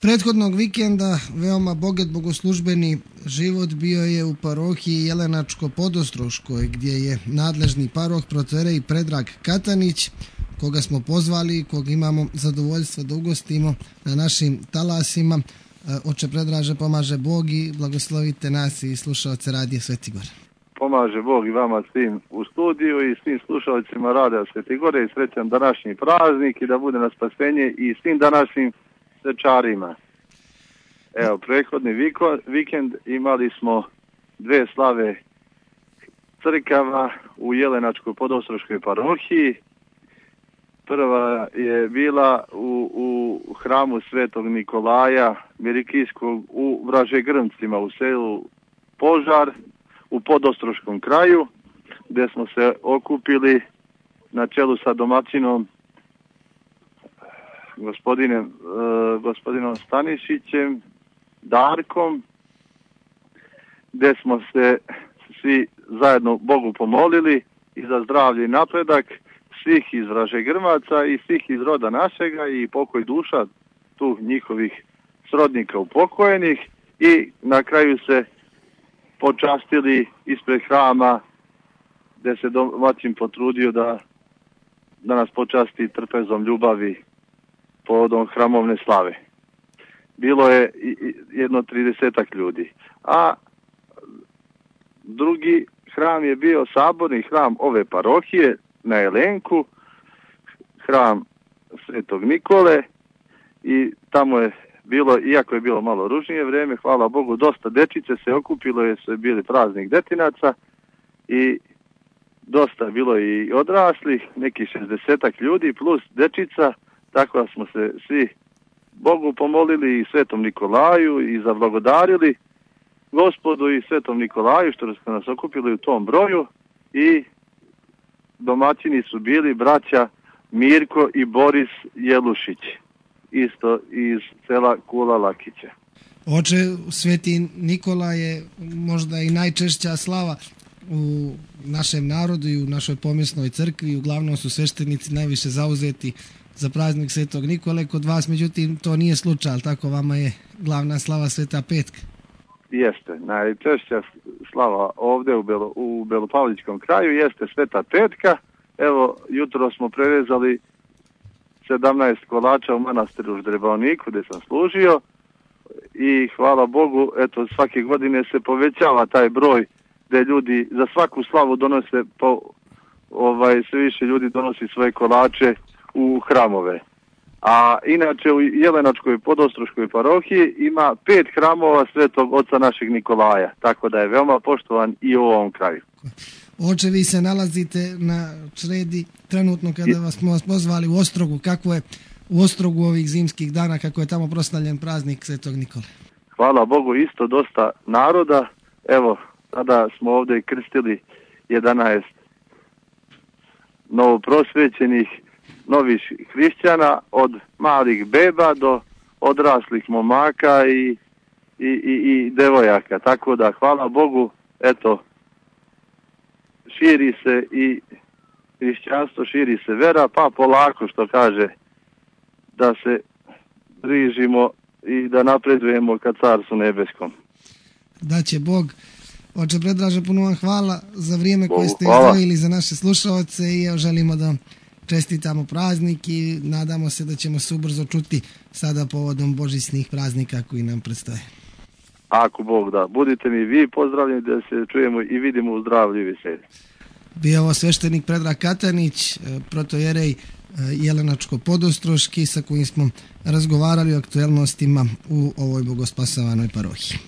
Prethodnog vikenda veoma bogat bogoslužbeni život bio je u parohiji Jelenačko-Podostroškoj, gdje je nadležni paroh protoijerej Predrag Katanić, koga smo pozvali, kog imamo zadovoljstvo da ugostimo na našim talasima. Oče Predraže, pomaže Bog i blagoslovite nas i slušalce Radija Sveti Gor. Pomaže Bog i vama svim u studiju i svim slušalcima Radija Sveti Gore i srećan današnji praznik i da bude na spasenje i svim današnjim svečarima. Evo, prethodni vikend imali smo dve slave crkava u Jelenačko-Podostroškoj parohiji. Prva je bila u hramu Svetog Nikolaja Mirikijskog u Vražegrmcima u selu Požar u Podostroškom kraju, gdje smo se okupili na čelu sa domaćinom gospodinom Stanišićem, Darkom, gdje smo se svi zajedno Bogu pomolili i za zdravlje i napredak svih iz Vražegrmaca i svih iz roda našega i pokoj duša tu njihovih srodnika upokojenih i na kraju se počastili ispred hrama gdje se domaćin potrudio da nas počasti trpezom ljubavi povodom hramovne slave. Bilo je jedno 30 ljudi. A drugi hram je bio saborni hram ove parohije na Jelenku, hram Svetog Nikole, i tamo je bilo, iako je bilo malo ružnije vrijeme, hvala Bogu, dosta dečice se okupilo jer su bili praznik detinaca i dosta je bilo i odraslih, neki 60 ljudi plus dečica, tako da smo se svi Bogu pomolili i Svetom Nikolaju i zablagodarili Gospodu i Svetom Nikolaju što su nas okupili u tom broju, i domaćini su bili braća Mirko i Boris Jelušić, isto iz sela Kula Lakića. Oče, Sveti Nikola je možda i najčešća slava u našem narodu i u našoj pomjesnoj crkvi. Uglavnom su sveštenici najviše zauzeti za praznik Svetog Nikole. Kod vas, međutim, to nije slučaj, ali tako vama je glavna slava Sveta Petka. Jeste, najčešća slava ovdje u Belopavličkom kraju jeste Sveta Petka. Evo, jutro smo prevezali 17 kolača u manastiru Ždrebavniku gdje sam služio i hvala Bogu, eto, svake godine se povećava taj broj gdje ljudi za svaku slavu donose sve više ljudi donosi svoje kolače u hramove. A inače u Jelenačkoj Podostroškoj parohiji ima 5 hramova Svetog Oca našeg Nikolaja, tako da je veoma poštovan i u ovom kraju. Oče, vi se nalazite na Čredi trenutno kada smo vas pozvali u Ostrogu. Kako je u Ostrogu ovih zimskih dana, kako je tamo proslavljen praznik Svetog Nikole? Hvala Bogu, isto dosta naroda. Evo, sada smo ovdje krstili 11 novoprosvećenih novih hrišćana, od malih beba do odraslih momaka i devojaka. Tako da, hvala Bogu, eto, širi se i hrišćanstvo, širi se vera, pa polako, što kaže, da se bližimo i da napredujemo ka Carstvu nebeskom. Da će Bog. Oče Predraže, puno vam hvala za vrijeme koje ste izdvojili za naše slušalce i želimo da čestitamo praznik i nadamo se da ćemo se ubrzo čuti sada povodom božićnih praznika koji nam predstoje. Ako Bog da. Budite mi vi pozdravljeni da se čujemo i vidimo u zdravlju i veselju. Bio ovo sveštenik Predrag Katanić, protoijerej Jelenačko-Podostroški, sa kojim smo razgovarali o aktuelnostima u ovoj bogospasavanoj parohiji.